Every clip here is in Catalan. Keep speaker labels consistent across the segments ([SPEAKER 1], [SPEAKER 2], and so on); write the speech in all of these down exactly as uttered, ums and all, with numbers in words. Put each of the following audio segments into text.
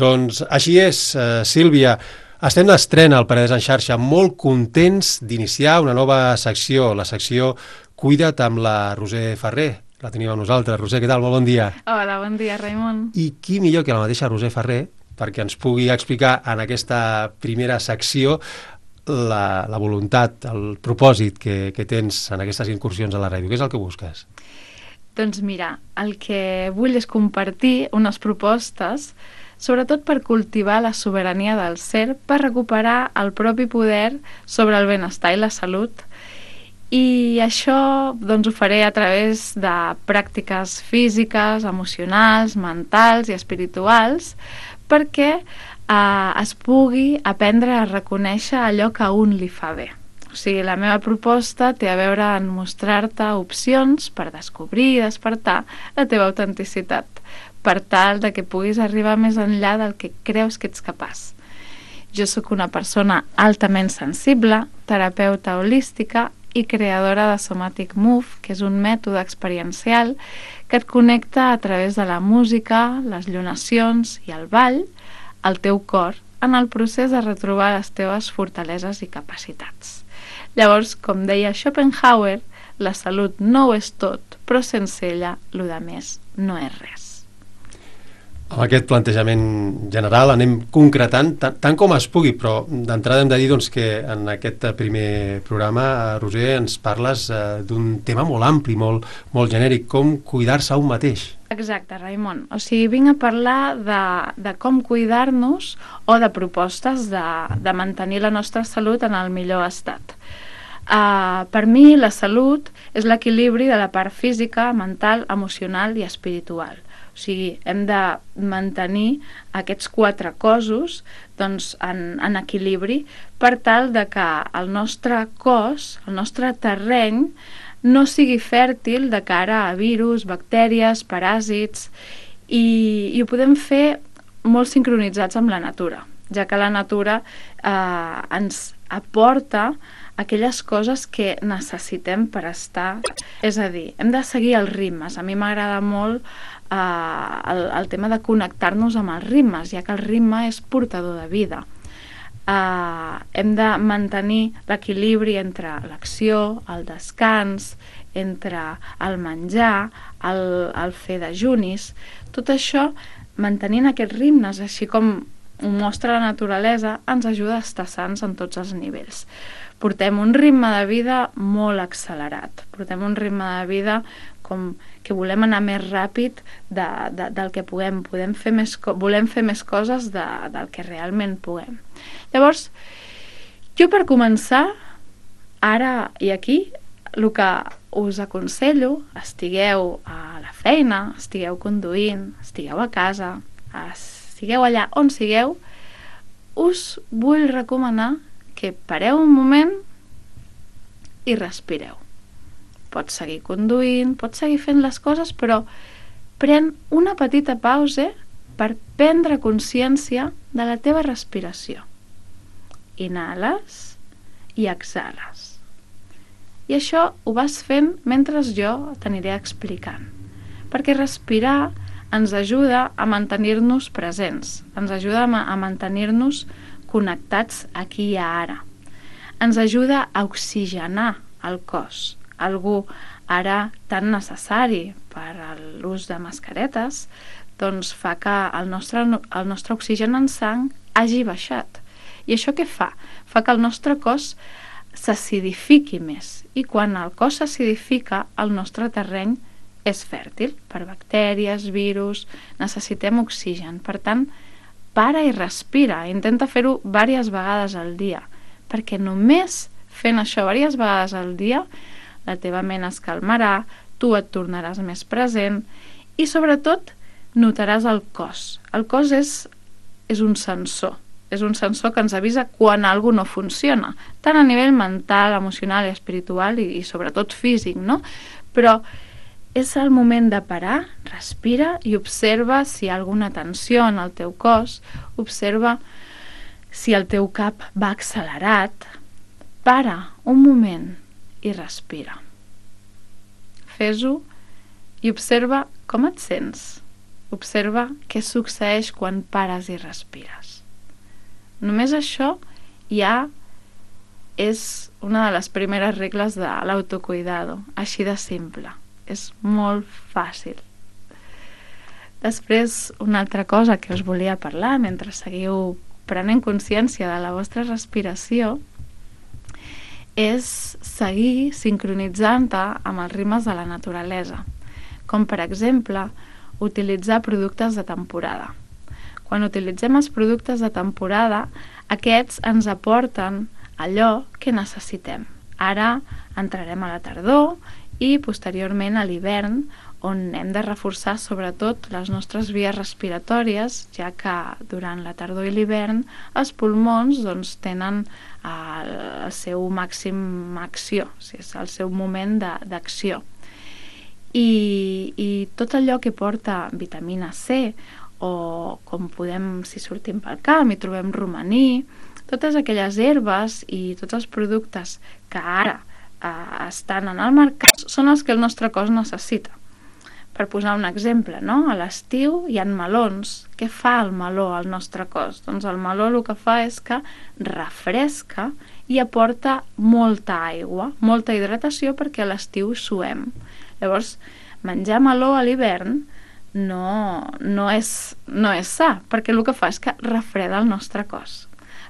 [SPEAKER 1] Doncs així és, uh, Sílvia. Estem d'estrena al Penedès en xarxa, molt contents d'iniciar una nova secció, la secció Cuida't amb la Roser Ferrer. La tenim amb nosaltres. Roser, què tal? Molt bon dia.
[SPEAKER 2] Hola, bon dia, Raimon.
[SPEAKER 1] I qui millor que la mateixa Roser Ferrer perquè ens pugui explicar en aquesta primera secció la, la voluntat, el propòsit que, que tens en aquestes incursions a la ràdio. Què és el que busques?
[SPEAKER 2] Doncs mira, el que vull és compartir unes propostes sobretot per cultivar la sobirania del ser, per recuperar el propi poder sobre el benestar i la salut. I això doncs, ho faré a través de pràctiques físiques, emocionals, mentals i espirituals, perquè eh, es pugui aprendre a reconèixer allò que a un li fa bé. O sigui, la meva proposta té a veure en mostrar-te opcions per descobrir i despertar la teva autenticitat, per tal de que puguis arribar més enllà del que creus que ets capaç. Jo sóc una persona altament sensible, terapeuta holística i creadora de Somatic Move, que és un mètode experiencial que et connecta a través de la música, les llunacions i el ball al teu cor en el procés de retrobar les teves fortaleses i capacitats. Llavors, com deia Schopenhauer, la salut no ho és tot, però sense ella, lo de més no és res.
[SPEAKER 1] Amb aquest plantejament general anem concretant tant, tant com es pugui, però d'entrada hem de dir doncs, que en aquest primer programa, Roser, ens parles eh, d'un tema molt ampli, molt, molt genèric, com cuidar-se a un mateix.
[SPEAKER 2] Exacte, Raimon. O sigui, vinc a parlar de, de com cuidar-nos o de propostes de, de mantenir la nostra salut en el millor estat. Uh, per mi, la salut és l'equilibri de la part física, mental, emocional i espiritual. O sigui, hem de mantenir aquests quatre cossos doncs, en, en equilibri per tal de que el nostre cos, el nostre terreny, no sigui fèrtil de cara a virus, bactèries, paràsits, i, i ho podem fer molt sincronitzats amb la natura, ja que la natura eh, ens aporta aquelles coses que necessitem per estar. És a dir, hem de seguir els ritmes. A mi m'agrada molt eh, el, el tema de connectar-nos amb els ritmes, ja que el ritme és portador de vida. Eh, hem de mantenir l'equilibri entre l'acció, el descans, entre el menjar, el, el fer dejunis. Tot això, mantenint aquests ritmes, així com ho mostra la naturalesa, ens ajuda a estar sants en tots els nivells. Portem un ritme de vida molt accelerat, portem un ritme de vida com que volem anar més ràpid de, de, del que puguem, podem fer més, volem fer més coses de, del que realment puguem. Llavors, jo per començar, ara i aquí, el que us aconsello, estigueu a la feina, estigueu conduint, estigueu a casa, estigueu allà on sigueu, us vull recomanar que pareu un moment i respireu. Pots seguir conduint, pots seguir fent les coses, però pren una petita pausa per prendre consciència de la teva respiració. Inhales i exhales. I això ho vas fent mentre jo t'aniré explicant. Perquè respirar ens ajuda a mantenir-nos presents, ens ajuda a mantenir-nos connectats aquí i ara. Ens ajuda a oxigenar el cos, algú ara tan necessari per a l'ús de mascaretes, doncs fa que el nostre, el nostre oxigen en sang hagi baixat. I això què fa? Fa que el nostre cos s'acidifiqui més, i quan el cos s'acidifica, el nostre terreny és fèrtil per bactèries, virus, necessitem oxigen. Per tant, para i respira, intenta fer-ho diverses vegades al dia, perquè només fent això diverses vegades al dia, la teva ment es calmarà, tu et tornaràs més present i sobretot notaràs el cos. El cos és, és un sensor, és un sensor que ens avisa quan alguna no funciona, tant a nivell mental, emocional, espiritual i, i sobretot físic, no? Però és el moment de parar, respira i observa si hi ha alguna tensió en el teu cos, observa si el teu cap va accelerat. Para un moment i respira. Fes-ho i observa com et sents. Observa què succeeix quan pares i respires. Només això ja és una de les primeres regles de l'autocuidado, així de simple. És molt fàcil. Després, una altra cosa que us volia parlar mentre seguiu prenent consciència de la vostra respiració és seguir sincronitzant-te amb els ritmes de la naturalesa, com per exemple utilitzar productes de temporada. Quan utilitzem els productes de temporada, aquests ens aporten allò que necessitem. Ara entrarem a la tardor i posteriorment a l'hivern, on hem de reforçar sobretot les nostres vies respiratòries, ja que durant la tardor i l'hivern els pulmons doncs, tenen el, el seu màxim acció, o sigui, és el seu moment d'acció. I, I tot allò que porta vitamina C, o com podem, si sortim pel camp i trobem romaní, totes aquelles herbes i tots els productes que ara eh, estan en el mercat són els que el nostre cos necessita. Per posar un exemple, no? A l'estiu hi ha melons. Què fa el meló al nostre cos? Doncs el meló el que fa és que refresca i aporta molta aigua, molta hidratació, perquè a l'estiu suem. Llavors, menjar meló a l'hivern no, no, és, no és sa, perquè el que fa és que refreda el nostre cos.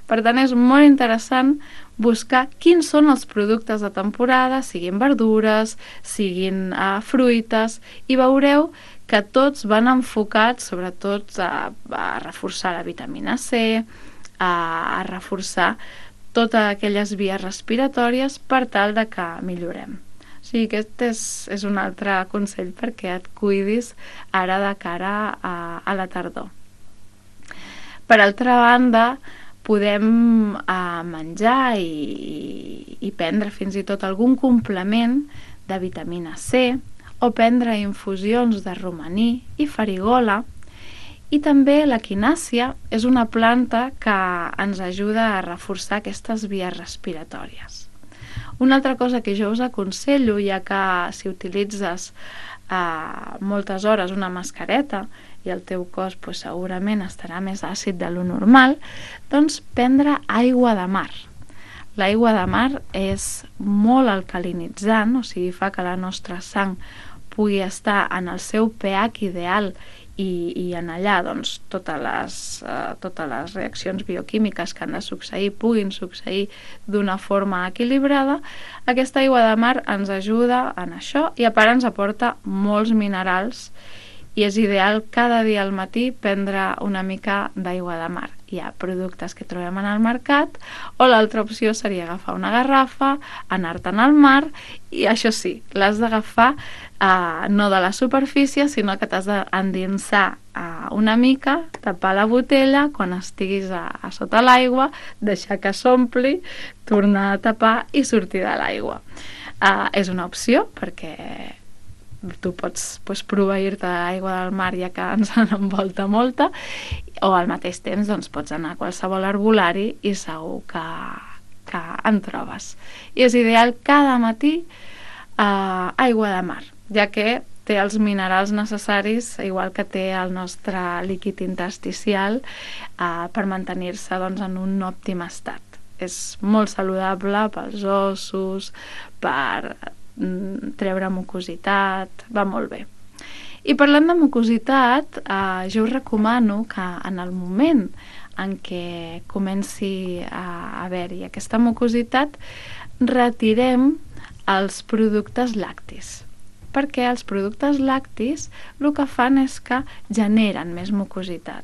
[SPEAKER 2] Per tant, és molt interessant buscar quins són els productes de temporada, siguin verdures, siguin uh, fruites, i veureu que tots van enfocats sobretot a, a reforçar la vitamina C, a, a reforçar totes aquelles vies respiratòries per tal de que millorem. O sigui, aquest és, és un altre consell perquè et cuidis ara de cara a, a la tardor. Per altra banda, podem eh, menjar i, i prendre fins i tot algun complement de vitamina C o prendre infusions de romaní i farigola, i també la quinàcia és una planta que ens ajuda a reforçar aquestes vies respiratòries. Una altra cosa que jo us aconsello, ja que si utilitzes eh, moltes hores una mascareta i el teu cos pues, segurament estarà més àcid de lo normal, doncs prendre aigua de mar. L'aigua de mar és molt alcalinitzant, o sigui, fa que la nostra sang pugui estar en el seu pH ideal i, i en allà doncs, totes, les, eh, totes les reaccions bioquímiques que han de succeir puguin succeir d'una forma equilibrada. Aquesta aigua de mar ens ajuda en això i a part ens aporta molts minerals i és ideal cada dia al matí prendre una mica d'aigua de mar. Hi ha productes que trobem en el mercat, o l'altra opció seria agafar una garrafa, anar-te'n al mar, i això sí, l'has d'agafar eh, no de la superfície, sinó que t'has d'endinsar eh, una mica, tapar la botella, quan estiguis a, a sota l'aigua, deixar que s'ompli, tornar a tapar i sortir de l'aigua. Eh, és una opció, perquè tu pots pues, proveir-te d'aigua del mar, ja que ens en envolta molta, o al mateix temps doncs, pots anar a qualsevol arbolari i segur que, que en trobes. I és ideal cada matí eh, aigua de mar, ja que té els minerals necessaris, igual que té el nostre líquid intersticial, eh, per mantenir-se doncs, en un òptim estat. És molt saludable pels ossos, per treure mucositat, va molt bé. I parlant de mucositat, eh, jo us recomano que en el moment en què comenci a haver-hi aquesta mucositat, retirem els productes lactis, perquè els productes lactis el que fan és que generen més mucositat.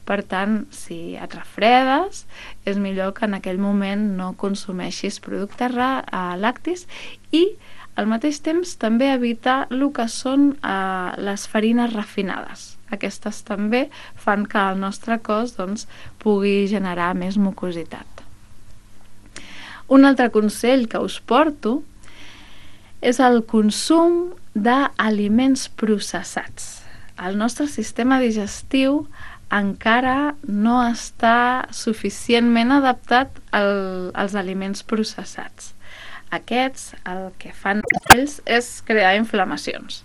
[SPEAKER 2] Per tant, si et refredes, és millor que en aquell moment no consumeixis productes lactis i al mateix temps també evitar el que són eh, les farines refinades. Aquestes també fan que el nostre cos doncs, pugui generar més mucositat. Un altre consell que us porto és el consum d'aliments processats. El nostre sistema digestiu encara no està suficientment adaptat al, als aliments processats. Aquests el que fan ells és crear inflamacions.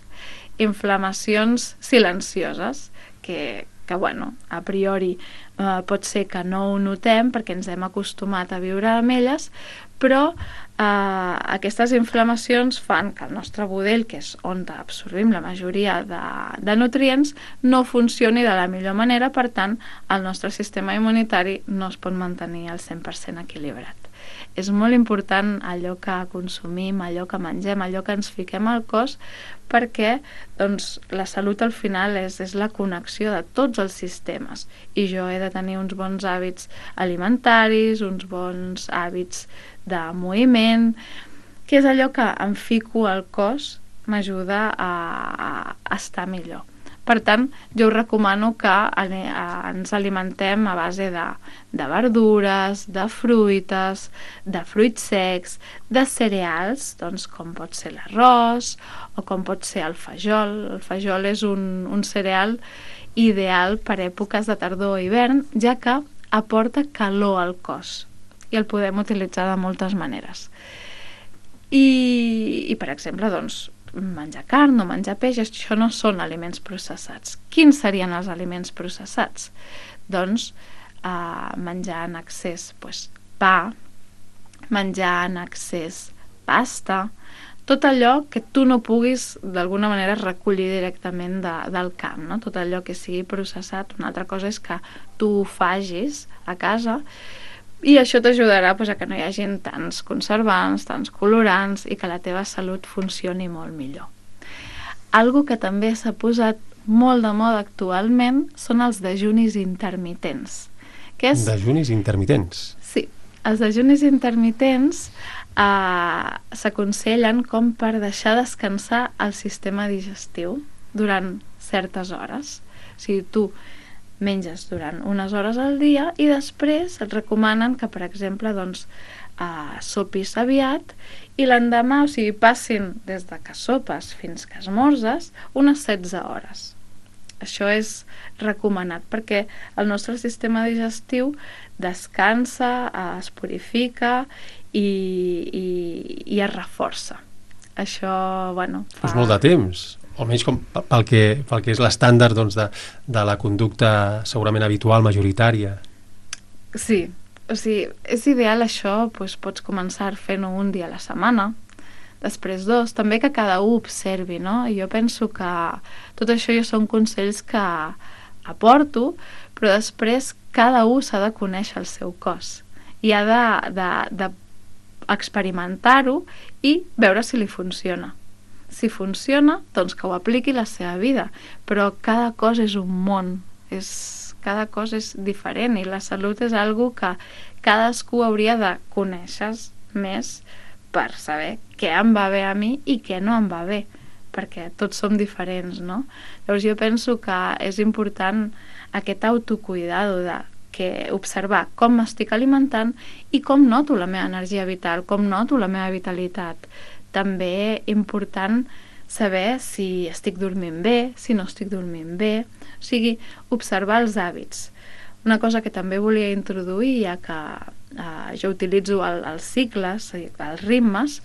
[SPEAKER 2] Inflamacions silencioses que, que bueno, a priori eh, pot ser que no ho notem perquè ens hem acostumat a viure amb elles, però eh, aquestes inflamacions fan que el nostre budell, que és on absorbim la majoria de, de nutrients, no funcioni de la millor manera, per tant, el nostre sistema immunitari no es pot mantenir al cent per cent equilibrat. És molt important allò que consumim, allò que mengem, allò que ens fiquem al cos, perquè doncs, la salut al final és, és la connexió de tots els sistemes, i jo he de tenir uns bons hàbits alimentaris, uns bons hàbits de moviment, que és allò que em fico al cos, m'ajuda a, a estar millor. Per tant, jo us recomano que ens alimentem a base de, de verdures, de fruites, de fruits secs, de cereals, doncs com pot ser l'arròs o com pot ser el fajol. El fajol és un, un cereal ideal per èpoques de tardor o hivern, ja que aporta calor al cos i el podem utilitzar de moltes maneres. I, i per exemple, doncs, menjar carn o menjar peix, això no són aliments processats. Quins serien els aliments processats? Doncs eh, menjar en excés pues, pa, menjar en excés pasta, tot allò que tu no puguis d'alguna manera recollir directament de, del camp, no? Tot allò que sigui processat. Una altra cosa és que tu ho facis a casa, i això t'ajudarà pues, a que no hi hagi tants conservants, tants colorants, i que la teva salut funcioni molt millor. Algo que també s'ha posat molt de moda actualment són els dejunis intermitents. Que és...
[SPEAKER 1] Dejunis intermitents?
[SPEAKER 2] Sí, els dejunis intermitents eh, s'aconsellen com per deixar descansar el sistema digestiu durant certes hores. O sigui, tu menges durant unes hores al dia i després et recomanen que, per exemple, doncs, eh, sopis aviat i l'endemà, o sigui, passin des de que sopes fins que esmorzes unes setze hores. Això és recomanat perquè el nostre sistema digestiu descansa, eh, es purifica i, i, i es reforça. Això, bueno, fa...
[SPEAKER 1] És molt de temps. Almenys com pel que, pel que és l'estàndard doncs, de, de la conducta segurament habitual, majoritària.
[SPEAKER 2] Sí, o sigui, és ideal això, doncs pots començar fent-ho un dia a la setmana, després dos, també que cada un observi, no? I jo penso que tot això ja són consells que aporto, però després cada un s'ha de conèixer el seu cos i ha de, de, de experimentar-ho i veure si li funciona. Si funciona, doncs que ho apliqui a la seva vida, però cada cosa és un món, és, cada cosa és diferent i la salut és algo que cadascú hauria de conèixer més per saber què em va bé a mi i què no em va bé, perquè tots som diferents, no? Llavors jo penso que és important aquest autocuidado de que observar com m'estic alimentant i com noto la meva energia vital, com noto la meva vitalitat. També important saber si estic dormint bé, si no estic dormint bé, o sigui, observar els hàbits. Una cosa que també volia introduir, ja que eh, jo utilitzo el, els cicles, els ritmes,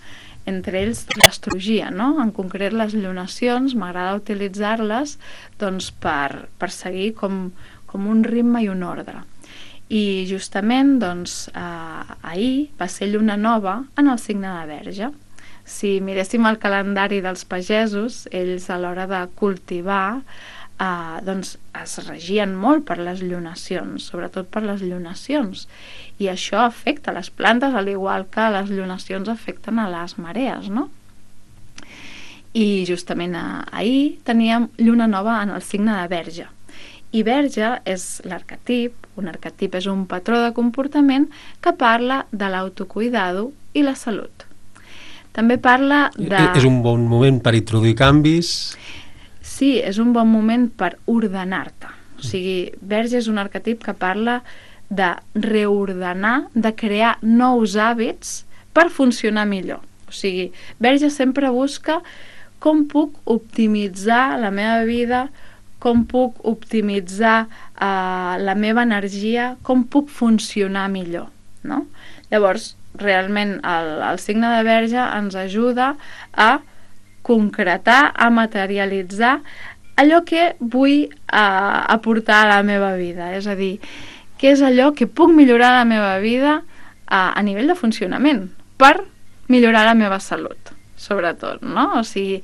[SPEAKER 2] entre ells l'astrologia, no? En concret les lunacions, m'agrada utilitzar-les doncs, per, per seguir com, com un ritme i un ordre. I justament doncs, eh, ahir va ser lluna nova en el signe de Verge. Si miréssim el calendari dels pagesos, ells a l'hora de cultivar eh, doncs es regien molt per les lunacions, sobretot per les lunacions, i això afecta les plantes al igual que les lunacions afecten a les marees, no? I justament ahir teníem lluna nova en el signe de Verge, i Verge és l'arquetip, un arquetip és un patró de comportament que parla de l'autocuidado i la salut. També parla de...
[SPEAKER 1] És un bon moment per introduir canvis?
[SPEAKER 2] Sí, és un bon moment per ordenar-te. O sigui, Verge és un arquetip que parla de reordenar, de crear nous hàbits per funcionar millor. O sigui, Verge sempre busca com puc optimitzar la meva vida, com puc optimitzar eh, la meva energia, com puc funcionar millor, no? Llavors, realment el, el signe de Verge ens ajuda a concretar, a materialitzar allò que vull uh, aportar a la meva vida, és a dir, què és allò que puc millorar a la meva vida uh, a nivell de funcionament, per millorar la meva salut, sobretot, no? O sigui,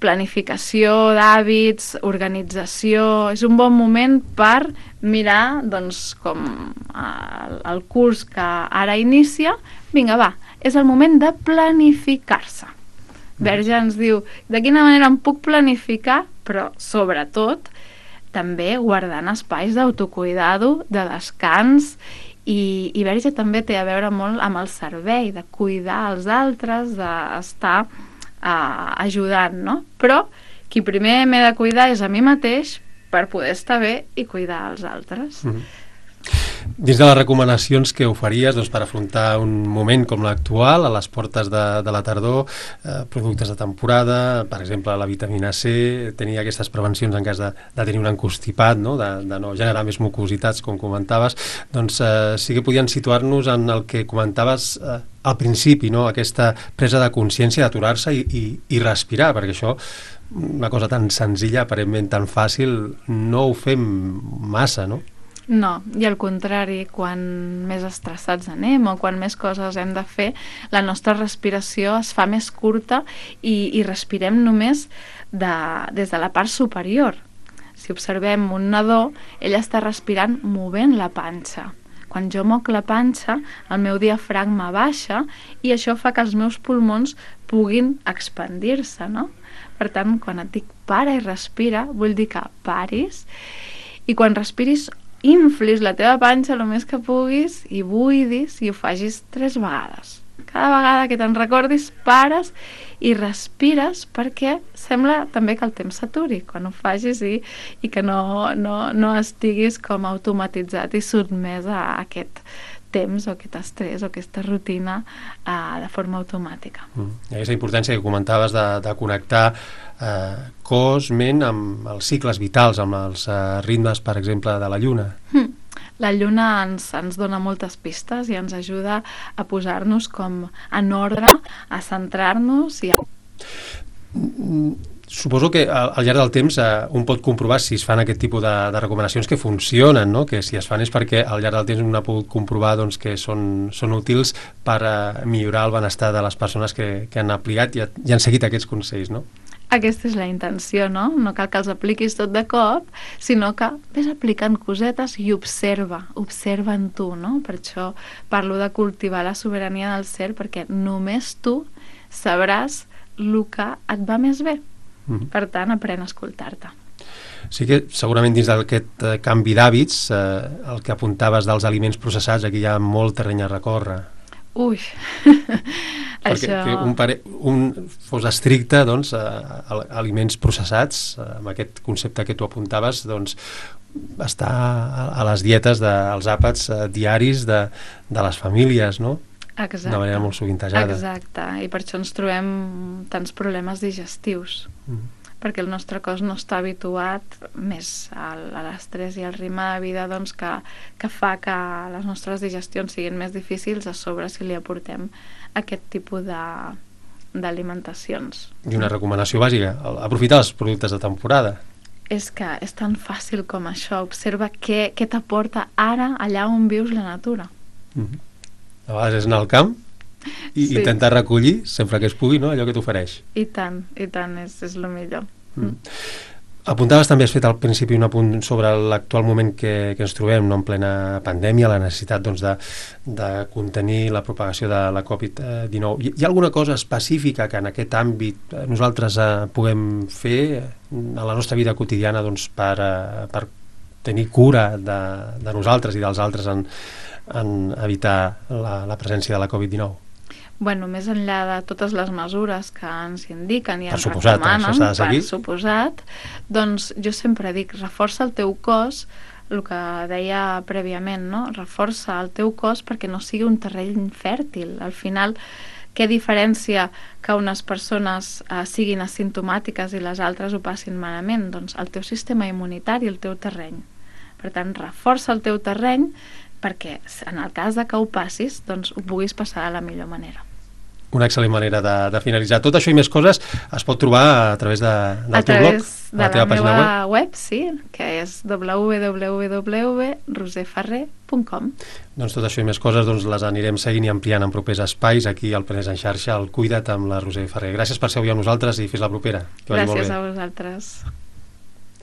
[SPEAKER 2] planificació d'hàbits, organització, és un bon moment per mirar, doncs, com el, el curs que ara inicia, vinga, va, és el moment de planificar-se. Verge ens diu, de quina manera em puc planificar, però sobretot també guardant espais d'autocuidado, de descans, i, i Verge també té a veure molt amb el servei, de cuidar els altres, d'estar Uh, ajudant, no? Però qui primer m'he de cuidar és a mi mateix per poder estar bé i cuidar els altres.
[SPEAKER 1] Mm-hmm. Dins de les recomanacions que oferíes, doncs, per afrontar un moment com l'actual, a les portes de, de la tardor, eh, productes de temporada, per exemple la vitamina C, tenir aquestes prevencions en cas de, de tenir un encostipat, no? De, de no generar més mucositats, com comentaves, doncs eh, sí que podien situar-nos en el que comentaves eh, al principi, no? Aquesta presa de consciència d'aturar-se i, i, i respirar, perquè això, una cosa tan senzilla, aparentment tan fàcil, no ho fem massa, no?
[SPEAKER 2] No, i al contrari, quan més estressats anem o quan més coses hem de fer, la nostra respiració es fa més curta i, i respirem només de, des de la part superior. Si observem un nadó, ell està respirant movent la panxa. Quan jo moc la panxa, el meu diafragma baixa i això fa que els meus pulmons puguin expandir-se, no? Per tant, quan et dic para i respira, vull dir que paris i quan respiris inflis la teva panxa el més que puguis i buidis i ho facis tres vegades. Cada vegada que te'n recordis, pares i respires perquè sembla també que el temps s'aturi quan ho facis i, i que no, no, no estiguis com automatitzat i sotmès a aquest temps o aquest estrès o aquesta rutina uh, de forma automàtica.
[SPEAKER 1] Mm. Aquesta importància que comentaves de, de connectar eh, cos, ment amb els cicles vitals, amb els eh, ritmes, per exemple, de la lluna.
[SPEAKER 2] Mm. La lluna ens, ens dona moltes pistes i ens ajuda a posar-nos com en ordre, a centrar-nos i a...
[SPEAKER 1] Suposo que al, al llarg del temps eh, un pot comprovar si es fan aquest tipus de, de recomanacions que funcionen, no? Que si es fan és perquè al llarg del temps un ha pogut comprovar doncs, que són, són útils per eh, millorar el benestar de les persones que, que han aplicat i, i han seguit aquests consells, no?
[SPEAKER 2] Aquesta és la intenció, no? No cal que els apliquis tot de cop, sinó que ves aplicant cosetes i observa, observa en tu, no? Per això parlo de cultivar la sobirania del ser, perquè només tu sabràs el que et va més bé. Mm-hmm. Per tant, aprèn a escoltar-te.
[SPEAKER 1] Sí que segurament dins d'aquest eh, canvi d'hàbits, eh, el que apuntaves dels aliments processats, aquí hi ha molt terreny a recórrer.
[SPEAKER 2] Ui,
[SPEAKER 1] perquè
[SPEAKER 2] això...
[SPEAKER 1] que un, pare, un fos estricte, doncs, a, a aliments processats, amb aquest concepte que tu apuntaves, doncs, està a, a les dietes dels àpats eh, diaris de, de les famílies, no?
[SPEAKER 2] Exacte.
[SPEAKER 1] De manera molt sovintejada.
[SPEAKER 2] Exacte, i per això ens trobem tants problemes digestius, mm. perquè el nostre cos no està habituat més al, a l'estrès i al ritme de vida doncs, que, que fa que les nostres digestions siguin més difícils, a sobre si li aportem aquest tipus de, d'alimentacions.
[SPEAKER 1] I una recomanació bàsica, aprofitar els productes de temporada.
[SPEAKER 2] És que és tan fàcil com això, observa què, què t'aporta ara allà on vius la natura.
[SPEAKER 1] Mm-hmm. A vegades és anar al camp i sí. intentar recollir, sempre que es pugui, no? Allò que t'ofereix.
[SPEAKER 2] I tant, i tant, és, és el millor.
[SPEAKER 1] Mm. Apuntaves també, has fet al principi un apunt sobre l'actual moment que, que ens trobem, no? En plena pandèmia, la necessitat doncs, de, de contenir la propagació de la covid dinou. Hi, hi ha alguna cosa específica que en aquest àmbit nosaltres eh, puguem fer a la nostra vida quotidiana doncs, per, eh, per tenir cura de, de nosaltres i dels altres en en evitar la, la presència de la covid dinou?
[SPEAKER 2] Bueno, més enllà de totes les mesures que ens indiquen i
[SPEAKER 1] per
[SPEAKER 2] ens
[SPEAKER 1] suposat,
[SPEAKER 2] recomanen,
[SPEAKER 1] això s'ha de seguir.
[SPEAKER 2] Per suposat, doncs jo sempre dic, reforça el teu cos, el que deia prèviament, no? Reforça el teu cos perquè no sigui un terreny fèrtil. Al final, què diferència que unes persones eh, siguin asimptomàtiques i les altres ho passin malament? Doncs el teu sistema immunitari, el teu terreny. Per tant, reforça el teu terreny perquè en el cas de que ho passis, doncs ho puguis passar de la millor manera.
[SPEAKER 1] una excel·lent manera de, de finalitzar. Tot això i més coses es pot trobar a través de, del
[SPEAKER 2] a
[SPEAKER 1] teu blog,
[SPEAKER 2] de la, la meva web. web, sí, que és w w w punt roser ferrer punt com.
[SPEAKER 1] Doncs tot això i més coses doncs, les anirem seguint i ampliant en propers espais aquí al Penedès en xarxa, al Cuida't amb la Roser Ferrer. Gràcies per ser avui amb nosaltres i fins la propera. Que vagi molt bé.
[SPEAKER 2] Gràcies a vosaltres.